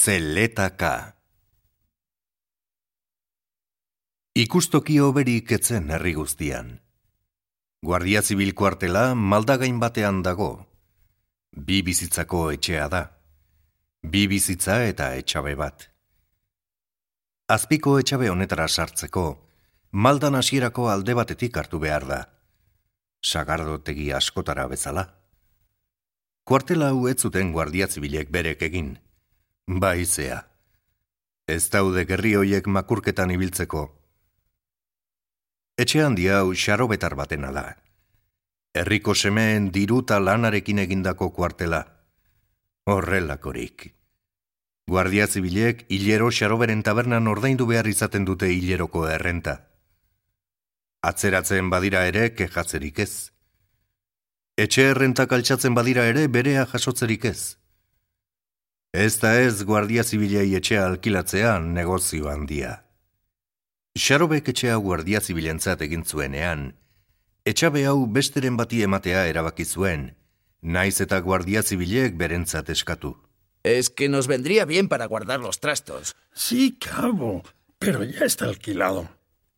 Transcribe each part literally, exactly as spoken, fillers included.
Zeletaka. Ikustoki hoberik etzen herri guztian. Guardia Zibil kuartela Maldagain batean dago. Bi bizitzako etxea da. Bi bizitza eta etxabe bat. Azpiko etxabe honetara sartzeko, Maldan hasierako alde batetik hartu behar da. Sagardotegi askotara bezala. Kuartela hau ez zuten Guardia Zibilek berek egin. Baizea. Ez daude gerri hoiek makurketan ibiltzeko. Etxe handia hau xarobetar batena da. Herriko semeen diruta lanarekin egindako kuartela. Horrelakorik. Guardia Zibilek hilero xaroberen tabernan ordaindu behar izaten dute hileroko errenta. Atzeratzen badira ere kexatzerik ez. Etxe errentak altxatzen badira ere berea jasotzerik ez. Ez da ez Guardia Zibilei etxea alkilatzea negozio handia. Xarobek etxea Guardia Zibilentzat egin zuenean, etxabe hau besteren bati ematea erabaki zuen, naiz eta Guardia Zibilek berentzat eskatu. Es que nos vendría bien para guardar los trastos. Sí, cabo, pero ya está alquilado.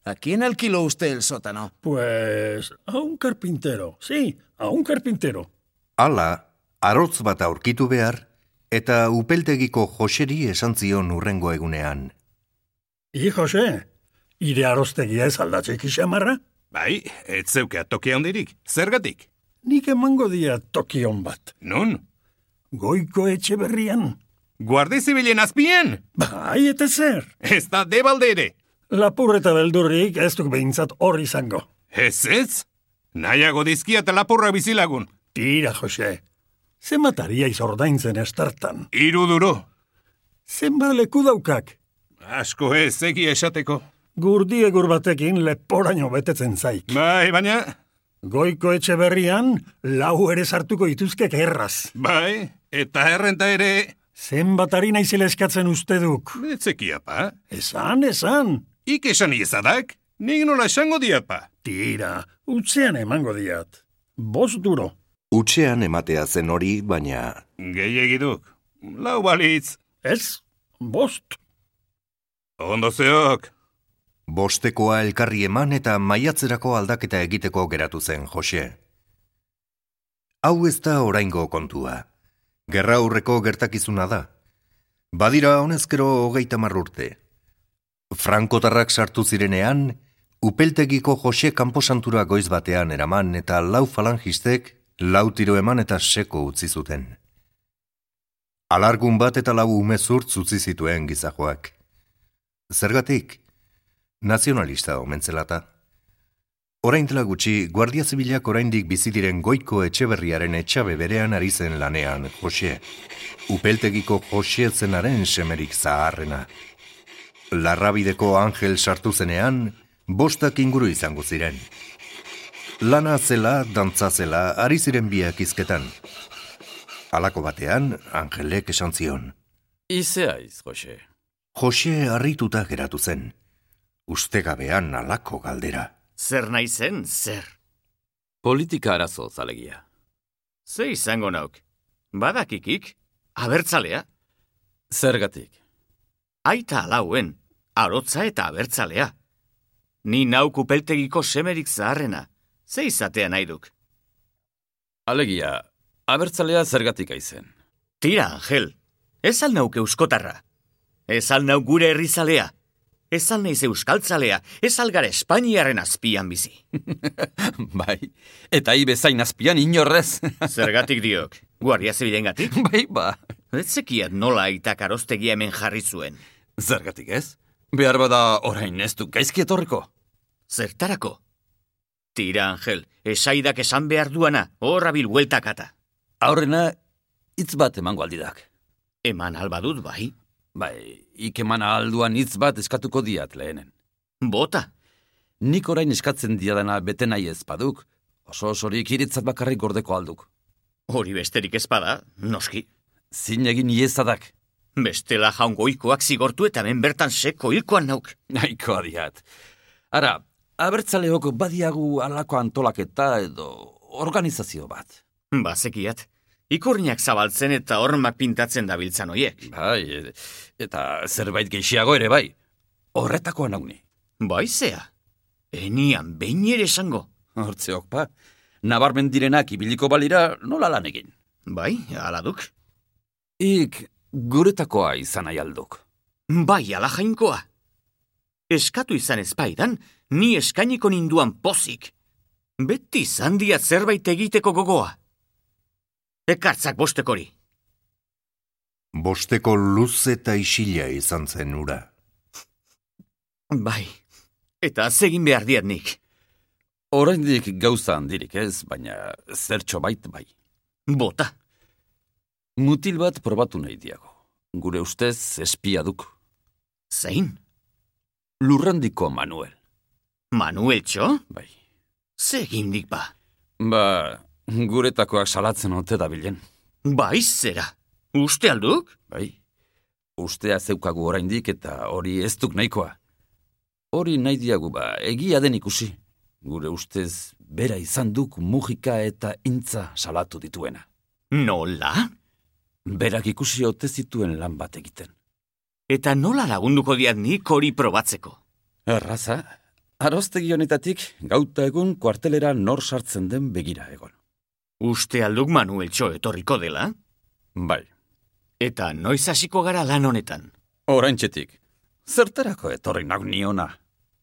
¿A quién alquiló usted el sótano? Pues a un carpintero, sí, a un carpintero. Hala, arotz bat aurkitu behar, eta upeltegiko Joseri esan zion hurrengo egunean. I, Jose, ire arostegia ez aldatzek xamarra? Bai, ez zeukea toki handirik. Zergatik? Nik emango dia tokion bat. Nun? Goiko etxe berrian. Guardia Zibilen azpien? Bai, eta zer. Ez da debalde ere. Lapurreta beldurrik ez duk behintzat hor izango. Ez ez? Nahiago dizkia eta lapurra bizilagun. Tira, Jose. Zenbataria izordaintzen estartan. Hiru duro. Zenbat leku daukak. Asko ez, egia esateko. Gurdi egur batekin leporaino betetzen zaik. Bai, baina... Goiko etxe berrian, lau ere sartuko ituzkek erraz. Bai, eta errenta ere... Zenbatari naizela eskatzen uste duk. Etzekiapa. Esan, esan. Ik esan iezadak, nik nola esango diapa. Tira, utzean emango diat. Bost duro. Utxean ematea zen hori, baina... Gehiagiduk, lau balitz. Ez, bost. Ondo zeok. Bostekoa elkarri eman eta maiatzerako aldaketa egiteko geratu zen Jose. Hau ez da oraingo kontua. Gerra aurreko gertakizuna da. Badira honezkero hogeita hamar urte. Frankotarrak sartu zirenean, upeltegiko Jose kanposantura goiz batean eraman eta lau falangistek lau tiro eman eta seko utzi zuten. Alargun bat eta lau umezurtz utzi zituen gizajoak. Zergatik? Nazionalista omentzelata. Orain dela gutxi, Guardia Zibilak oraindik bizi diren Goiko Etxeberriaren etxabe berean ari zen lanean, Jose. Upeltegiko Jose zenaren semerik zaharrena. Larrabideko Angel sartu zenean, bostak inguru izango ziren. Lana zela, dantza zela, ari ziren biak izketan. Halako batean, Angelek esan zion. Izeaiz, Jose. Jose harrituta geratu zen. Ustegabean halako galdera. Zer nahi zen, zer? Politika arazo zalegia. Ze izango nauk? Badakikik? Abertzalea? Zergatik. Aita alauen, arotza eta abertzalea. Ni nauk upeltegiko semerik zaharrena. Ze izatea nahi duk? Alegia, abertzalea zergatik aizen. Tira, Angel, ez al nauk euskotarra. Ez al nauk gure herrizalea. Ez al naiz euskaltzalea, ez algara Espainiaren azpian bizi. Bai, eta hi bezain azpian inorrez. Zergatik diok, Guardia Zibilengatik? Bai, ba. Ez zekiat nola aitak arostegia hemen jarri zuen. Zergatik ez? Behar bada orain ez du gaizki etorriko. Zertarako? Tira, Angel, esaidak esan behar duana, horra bil hueltakata. Aurrena, hitz bat emango aldidak. Eman albadut, bai? Bai, ikeman alduan hitz bat eskatuko diat lehenen. Bota? Nik orain eskatzen diadana bete nahi ez baduk, oso osorik iritzat bakarrik gordeko alduk. Hori besterik ezpada, noski. Zin egin iezadak. Bestela jaungoikoak zigortu eta hemen bertan seko hilkoan nauk. Nahikoa diat. Ara, abertzaleok badiagu alako antolaketa edo organizazio bat. Bazekiat, Ikurriak zabaltzen eta hormak pintatzen dabiltzan hoiek. Bai, e- eta zerbait gehiago ere bai. Horretakoa nauni. Bai zea, enian behin ere esango. Hortzeok pa, nabarmen direnak ibiliko balira nola lan egin. Bai, ala duk. Ik guretakoa izan nahi alduk. Bai, ala jainkoa. Eskatu izan ezpaidan, ni eskainiko ninduan pozik. Beti izan diat zerbait egiteko gogoa. Ekartzak bostekori. Bosteko luz eta isila izan zen ura. Bai, eta zegin behar diat nik. Oraindik gauza handirik ez, baina zertxo bait bai. Bota. Mutil bat probatu nahi diago. Gure ustez espia duk. Zein? Lurrandiko Manuel. Manuel txo? Bai. Zegin dik ba. Ba, guretakoak salatzen ote dabilen. Bai, zera. Uste alduk? Bai. Ustea zeukagu oraindik eta hori ez duk nahikoa. Hori nahi diagu ba, egia den ikusi. Gure ustez bera izan duk mugika eta intza salatu dituena. Nola? Berak ikusi ote zituen lan bat egiten. Eta nola lagunduko diat nik hori probatzeko? Erraza, aroztegi honetatik gauta egun kuartelera nor sartzen den begira egon. Uste alduk Manuel txo etorriko dela? Bai, Eta noiz hasiko gara lan honetan? oraintxetik. Zertarako etorri nauk niona?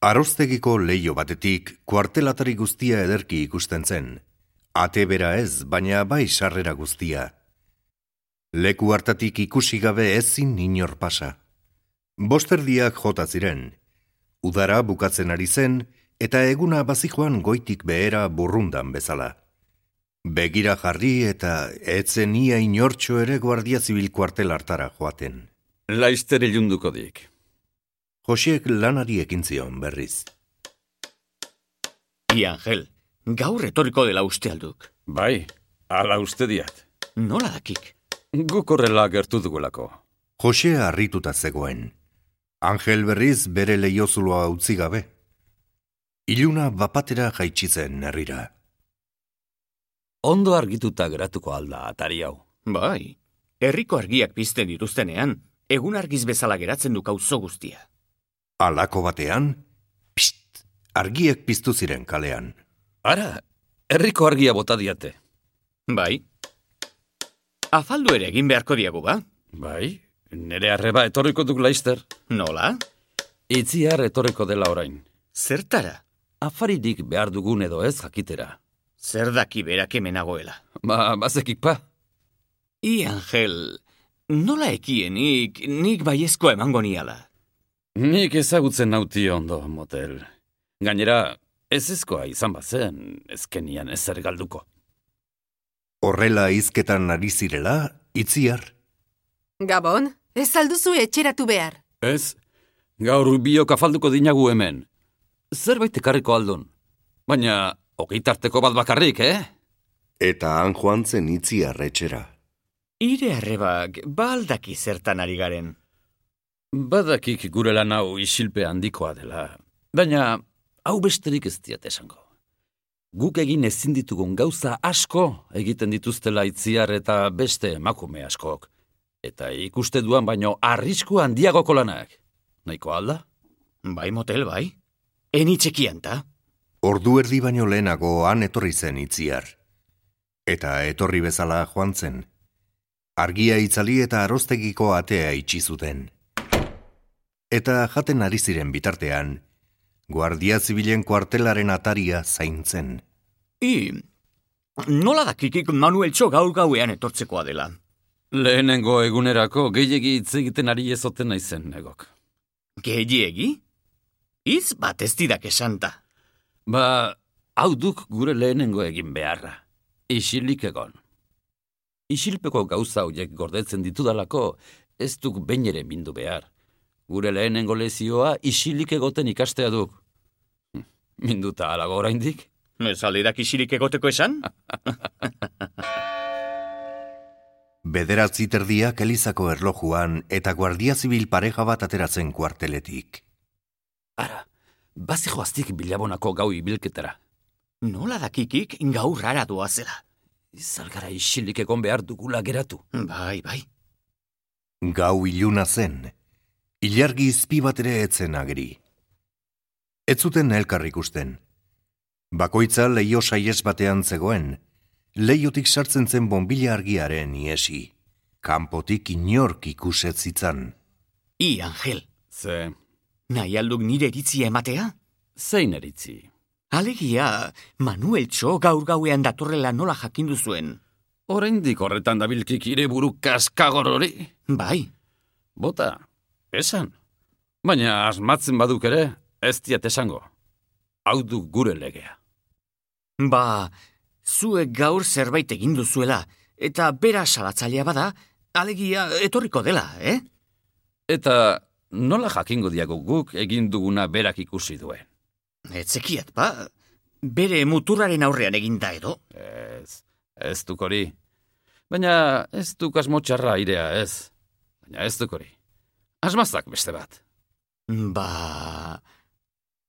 Aroztegiko leio batetik kuartelatari guztia ederki ikusten zen. Ate bera ez, baina bai sarrera guztia. Leku hartatik ikusi gabe ezin inor pasa. Bosterdiak jota ziren. Udara bukatzen ari zen, eta eguna bazijoan goitik behera burrundan bezala. Begira jarri eta etzen ia inortxo ere Guardia Zibil kuartel hartara joaten. Laizter ilunduko dik. Josiek lanari ekin zion berriz. I Angel, gaur etorriko dela uste alduk. Bai, ala uste diat. Nola dakik? Guk horrela gertu dugulako. Jose harrituta zegoen. Angel berriz bere leiozuloa utzi gabe. Iluna bapatera jaitsi zen herrira. Ondo argituta geratuko alda atari hau. Bai, herriko argiak pizten dituztenean, egun argiz bezala geratzen duk auzo guztia. Halako batean, pst, argiek piztu ziren kalean. Ara, herriko argia bota diate. Bai. Afaldu ere egin beharko diagu ba? Bai, nere arreba etorriko duk Laizter. Nola? Itziar etorriko dela orain. Zertara? Afaririk behar dugun edo ez jakitera. Zer daki berak hemenagoela? Ba, bazekik pa. I Angel, nola ekienik nik baiezkoa emango niala? Nik ezagutzen nauti ondo, motel. Gainera, ez ezkoa izan bazen, ezkenian ezer galduko. Horrela hizketan ari zirela, Itziar. Gabon, ez alduzu etxeratu behar. Ez, gaur biok afalduko dinagu hemen. Zerbait ekarriko aldun. Baina, ogitarteko bat bakarrik, eh? Eta han joan zen Itziar etxera. Ire arrebak, baldaki zertan ari garen. Badakik gure lan hau isilpe handikoa dela. Baina, hau besterik ez diat esango. Guk egin ezin ditugun gauza asko egiten dituztela Itziar eta beste emakume askok. Eta ikuste duan baino arrisku handiagoko lanak. Nahiko alda? Bai motel, bai. Eni txekianta. Ordu erdi baino lehenago han etorri zen Itziar. Eta etorri bezala joan zen. Argia itzali eta aroztegiko atea itxi zuten. Eta jaten ari ziren bitartean, Guardia Zibilen kuartelaren ataria zaintzen. I, nola dakikik Manuel txo gaur gauean etortzekoa dela? Lehenengo egunerako gehiegi hitz egiten ari ezoten naizen negok. Gehiegi? Hitz bat ez didak esanta. Ba, hau duk gure lehenengo egin beharra. Isilik egon. Isilpeko gauza horiek gordetzen ditudalako, ez duk behin ere mindu behar. Gure lehenengo lezioa isilik egoten ikastea duk. Minduta alago oraindik? Ez alderak isilik egoteko esan? Bederatzi terdiak Elizako erlojuan eta Guardia Zibil pareja bat ateratzen kuarteletik. Ara, bazijoaztik bilabonako gau ibilketara. Nola dakikik gaur rara doazela? Izalgara isilik egon behar dugula geratu. Bai, bai. Gau iluna zen, ilargi izpi bat ere etzen ageri. Ez zuten elkar ikusten. Bakoitza leio saiez batean zegoen, leiotik sartzen zen bonbila argiaren iesi. Kanpotik inork ikuset zitzan. I, Angel, Ze, nahi alduk nire iritzia ematea? zein eritzi? Alegia, Manueltxo gaur gauean datorrela nola jakindu zuen. Oraindik horretan dabilkik ire buru kaskagor hori? Bai, Bota, esan. Baina asmatzen baduk ere, ez diat esango. Hau du gure legea. ba, zuek gaur zerbait egin duzuela, eta bera salatzailea bada, alegia etorriko dela, eh? Eta nola jakingo diago guk egin duguna berak ikusi duen? Etzekiat, ba, bere muturraren aurrean eginda edo. Ez, ez duk hori. Baina ez duk asmotxarra irea, ez. Baina ez duk hori. Asmazak beste bat. Ba,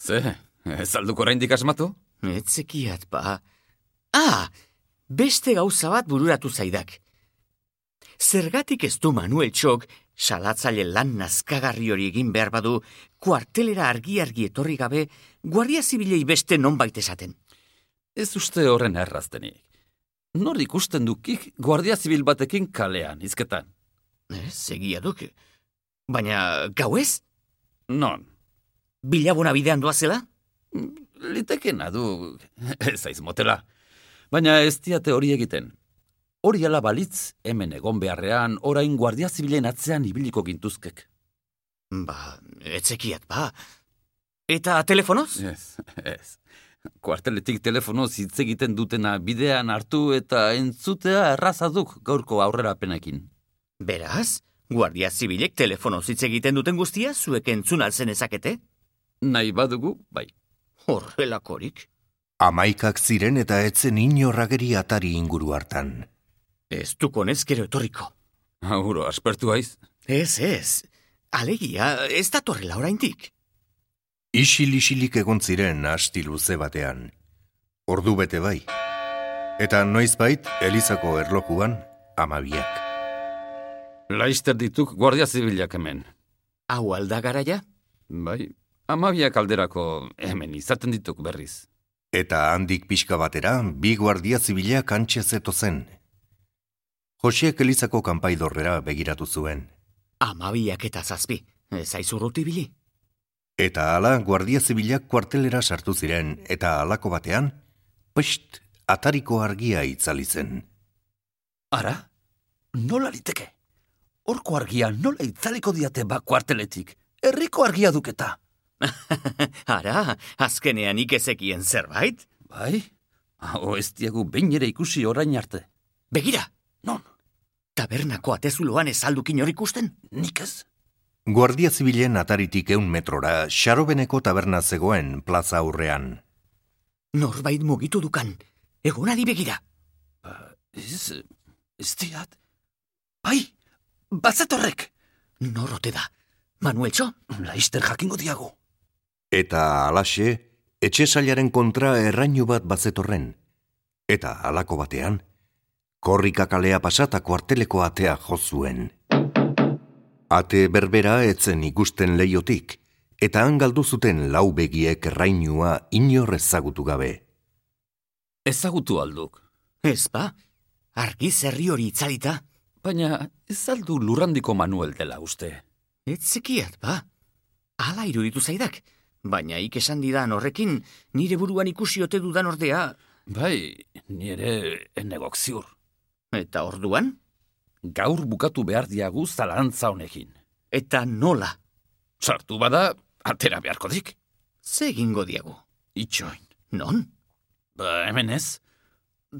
Ze, ez alduk oraindik asmatu? etzekiat, ba. Ah, beste gauza bat bururatu zaidak. Zergatik ez du Manueltxok salatzaile lan nazkagarri hori egin behar badu, kuartelera argi-argi etorri gabe, guardia zibilei beste nonbait esaten. Ez uste horren erraztenik. Nor ikusten dukik guardia zibil batekin kalean, izketan. Ez, egia duk. Baina, gau ez? Non, Bilabona bidean doazela? litekena du, ez aiz motela. Baina ez diate hori egiten. Hori ala balitz, hemen egon beharrean, orain guardia zibilen atzean ibiliko gintuzkek. Ba, etzekiat, ba. Eta telefonoz? Ez, ez. Kuarteletik telefonoz hitz egiten dutena bidean hartu eta entzutea errazaduk gaurko aurrerapenekin. Beraz, guardia zibilek telefonoz hitz egiten duten guztia zuek entzun alzen ezakete? Nahi badugu, bai. Horrelakorik. Amaikak ziren eta etzen inorrageri atari inguru hartan. Ez dukonez gero etorriko. Auro, aspertu haiz. Ez, ez. Alegia, ez datorrela oraindik. Isil-isilik egon ziren asti luze batean. Ordu bete bai. Eta noizbait, Elizako erlojuan, amabiak. Laister dituk guardia zibilak hemen. Hau alda garaia? Bai, amabiak alderako hemen izaten dituk berriz. Eta handik pixka batera, bi guardia zibilak antxe zetozen. Josiek Elizako kanpaidorrera begiratu zuen. Amabiak eta zazpi. Ez aizurruti bili. Eta hala, guardia zibilak kuartelera sartu ziren, eta halako batean, pst, atariko argia itzali zen. Ara, nola liteke? Horko argia nola itzaliko diate ba kuarteletik? Herriko argia duketa. Ara, azkenean ikezekien zerbait? Bai, hau ez diegu behin ere ikusi orain arte. Begira, Non, tabernako atezuloan ez aldukin hor ikusten? nik ez? Guardia zibilen ataritik eun metrora, Xarobeneko taberna zegoen plaza aurrean. Norbait mugitu dukan, egonari begira. Ez, ez diat. Bai, bazetorrek. Norrote da, Manueltxo? Laister jakingo diago. Eta alaxe, etxe sailaren kontra errainu bat bazetorren. Eta halako batean, korrika kalea pasata kuarteleko atea jo zuen. Ate berbera etzen ikusten leiotik, eta han galdu zuten lau begiek errainua inor ezagutu gabe. Ezagutu alduk. Ez ba, argi zerri hori itzalita. Baina ez aldu lurrandiko Manuel dela uste. Ez zekiat ba, hala iruditu zaidak. Baina ik esan didan horrekin, nire buruan ikusi ote dudan ordea. Bai, nire enegok ziur. Eta orduan? Gaur bukatu behar diagu zalantza honekin. Eta nola? Sartu bada, atera beharko dik. Ze egingo diagu? Itxoin. Non? Ba, hemen ez.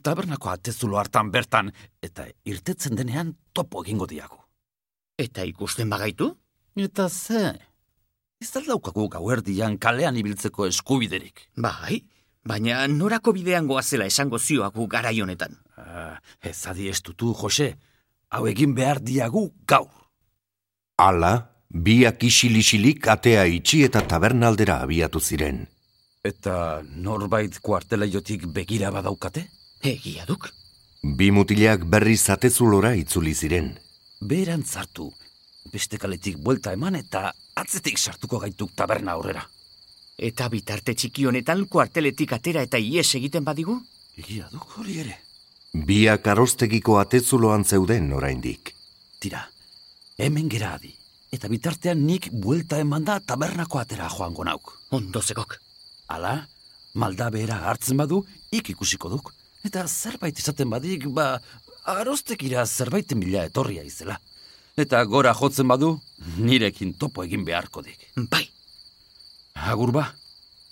Tabernako atezulo hartan bertan, eta irtetzen denean topo egingo diagu. Eta ikusten bagaitu? Eta ze? Ez aldaukagu gauerdian kalean ibiltzeko eskubiderik. Bai, baina norako bidean goazela esango zioagu garai honetan. Ah, ez adi estutu, Jose. Hau egin behar diagu gaur. Hala, biak isil-isilik atea itxi eta tabernaldera abiatu ziren. Eta norbait kuartelaiotik begira badaukate? Egia duk. Bi mutilak berriz atezulora itzuli ziren. Beran zartu, beste kaletik buelta eman eta atzetik sartuko gaituk taberna aurrera. Eta bitarte txiki honetan kuarteletik atera eta ies egiten badigu? Egia duk hori ere. Biak arrostegiko atezuloan zeuden oraindik. Tira, hemen gera adi. Eta bitartean nik buelta eman da tabernako atera joango nauk. Ondo zegok. Hala, malda behera hartzen badu, ik ikusiko duk. Eta zerbait izaten badik, ba, arostekira zerbaiten bila etorria izela. Eta gora jotzen badu, nirekin topo egin beharko dik. Bai. Agur ba,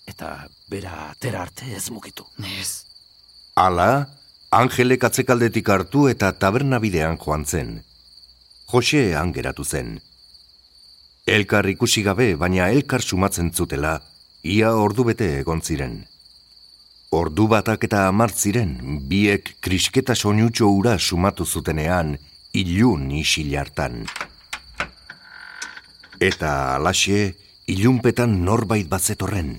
eta bera atera arte ez mugitu. Ez. Hala, Angelek atzekaldetik hartu eta taberna bidean joan zen. Jose angeratu zen. Elkar ikusi gabe, baina elkar sumatzen zutela, ia ordubete egon ziren. Ordu batak eta hamar ziren, biek krisketa soinutxo ura sumatu zutenean, ilun isil hartan. Eta alaxe, ilunpetan norbait bazetorren.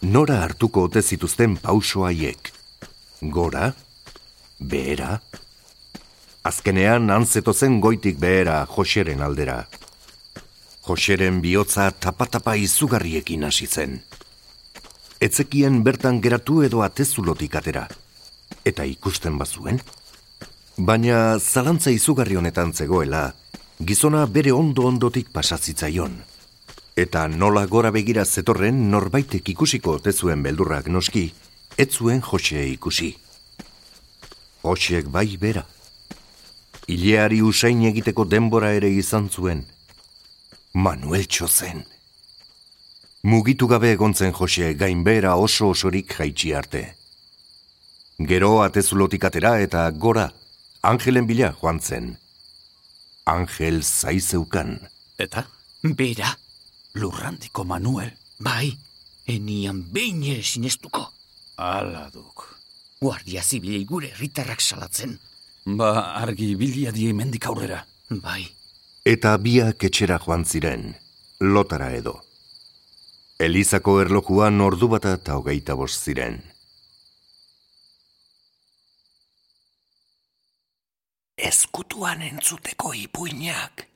Nora hartuko ote zituzten pauso haiek. Gora? Behera? Azkenean antzeto zen goitik behera Joseren aldera. Joseren bihotza tapa-tapa izugarriekin hasi zen. Etzekien bertan geratu edo atezulotik atera. Eta ikusten bazuen? Baina zalantza izugarri honetan zegoela, gizona bere ondo-ondotik pasazitzaion. Eta nola gora begira zetorren norbaitek ikusiko ote zuen beldurrak noski, ez zuen Jose ikusi. Josek bai bera. Ileari usain egiteko denbora ere izan zuen. Manueltxo zen. Mugitu gabe egontzen Jose gainbehera oso osorik jaitsi arte. Gero atezulotik atera eta gora, Angelen bila joan zen. Angel zaizeukan. Eta? Bera. Lurrandiko Manuel. Bai, enian behin ere sinestuko. Ala duk. Guardia zibilei gure herritarrak salatzen. Ba, argi bilia die mendik aurrera. Bai. Eta biak etxera joan ziren, lotara edo. Elizako erlojuan ordu bata eta hogeita bost ziren. Ezkutuan entzuteko ipuinak.